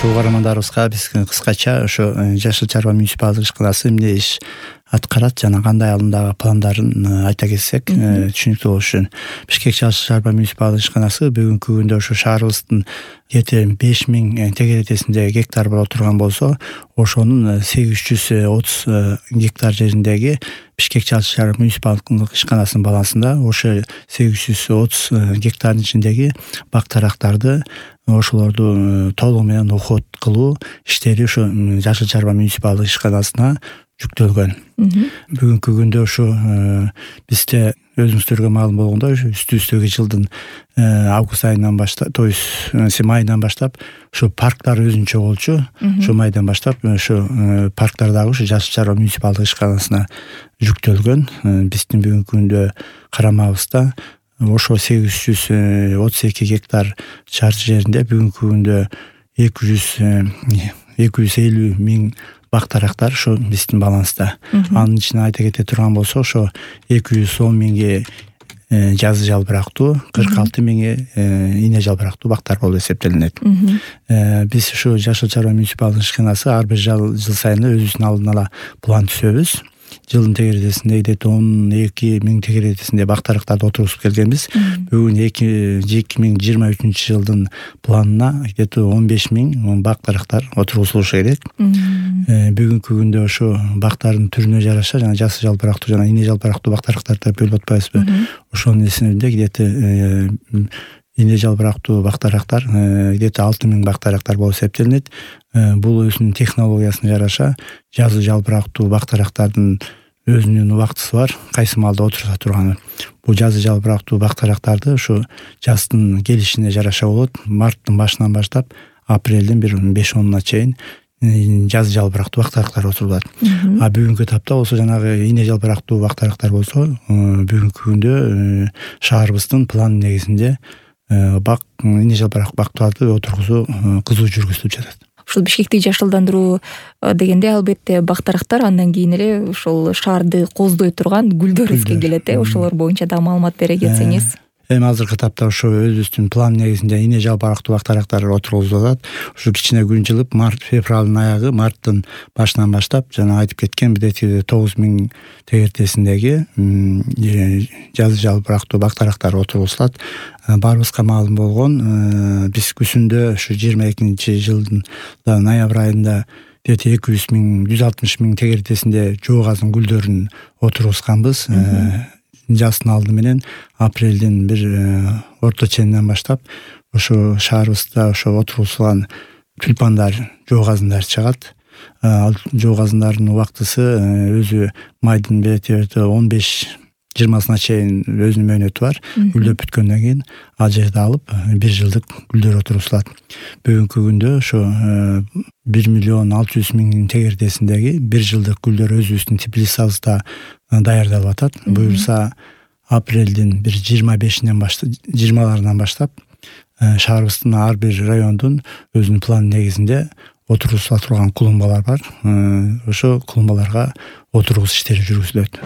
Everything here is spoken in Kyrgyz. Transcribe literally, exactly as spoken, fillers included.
урматтуу угармандарыбызга биз кыскача ошо Жашыл Чарба муниципалдык ишканасы эмне иш аткарат жана кандай алымдагы пландарын айта кетсек түшүнүктүү болуш үчүн. Бишкек Жашыл Чарба муниципалдык ишканасы бүгүнкү күндө ошо шаарыбыздын жети беш миң тегеретесинде гектар боло турган болсо, ошонун сегиз жүз отуз гектар жериндеги Бишкек Жашыл Чарба муниципалдык ишканасынын балансында ошо сегиз жүз отуз гектардын ичиндеги бак-тарактарды ошолорду толугу менен уход кылуу иштери ошо Жашыл Чарба муниципалдык ишканасына жүктөлгөн. Бүгүнкү күндө ошо бизде өзүңүздөргө маалым болгондой үстүбүздөгү жылдын август айынан баштап, то есть майынан баштап ошо парктар өзүнчө болчу. Ошо майдан баштап ошо парктар дагы ошо Жашыл Чарба муниципалдык ишканасына жүктөлгөн. Биздин бүгүнкү күндө карамабызда ошо сегиз жүз отуз эки гектар чарчы жеринде бүгүнкү күндө эки жүз эки жүз элүү миң бак-тарактар ошо биздин баланста. Анын ичинде айта кете турган болсо, ошо эки жүз он миңи жазы жалбырактуу, кырк алты миңи ийне жалбырактуу бактар болуп эсептелинет. Биз ошо Жашыл Чарба муниципалдык ишканасы ар бир жыл сайын өзүбүздүн алдын ала план түзөбүз. Жылдын тегеретесинде где-то он эки миң тегеретесинде бак-тарактарды отургузуп келгенбиз. Бүгүн эки миң жыйырма үчүнчү жылдын планына где-то он беш миң бак-тарактар отургузулушу керек. Бүгүнкү күндө ошо бактардын түрүнө жараша жана жасы жалбырактуу жана ийне жалбырактуу бак-тарактарды бөлүп атпайбызбы? Ошонун эсинде где-то ийне жалбырактуу бак-тарактар где-то алты миң бак-тарактар болуп эсептелинет. Бул өзүнүн технологиясына жараша жазы жалбырактуу бак-тарактардын өзүнүн убактысы бар, кайсы маалда отурула турганы. Бул жазы жалбырактуу бак-тарактарды ошо жаздын келишине жараша болот. Марттын башынан баштап апрелдин бир беш онуна чейин жазы жалбырактуу бак-тарактар отурулат. А бүгүнкү этапта болсо жанагы ийне жалбырактуу бак-тарактар болсо, бүгүнкү күндө шаарыбыздын план негизинде бак ийне жалбырактуу бактарды отургузуу кызуу жүргүзүлүп жатат. Ушул Бишкекти жашылдандыруу дегенде албетте бак-тарактар, андан кийин эле ошол шаарды кооздой турган гүлдөр эске келет. Ошолор боюнча да маалымат бере кетсеңиз. Эми азыркы этапта ошо өзүбүздүн план негизинде ийне жалбырактуу бак-тарактар отургузулат. Ушу кичине күн жылып, март, февралдын аягы, марттын башынан баштап жана айтып кеткен бирдеки тогуз миң тегеретесиндеги жазы жалбырактуу бак-тарактар отургузулат. Баарыбызга маалым болгон, биз күзүндө ушу жыйырма экинчи жылдын ноябрь айында где-то эки жүз миң, жүз алтымыш миң тегеретесинде жоо азын гүлдөрүн отургузганбыз. Жаздын алды менен апрелдин бир орто ченинен баштап ошо шаарыбызда ошо отургузулган тюльпандар, жоо азындар чыгат. Ал жоо азындардын убактысы өзү майдын бери он беш жыйырмасына чейин өзүнүн мөөнөтү бар. Гүлдөп бүткөндөн кийин ал жерде алып бир жылдык гүлдөр отургузулат. Бүгүнкү күндө ошо бир миллион алты жүз миң тегеретесиндеги бир жылдык гүлдөр өзүбүздүн теплицабызда даярдалып атат. Буюрса апрелдин бир жыйырма бешинен баштап, жыйырмаларынан баштап шаарыбыздын ар бир райондун өзүнүн план негизинде отургузула турган клумбалар бар. Ошо клумбаларга отургузуш иштери жүргүзүлөт.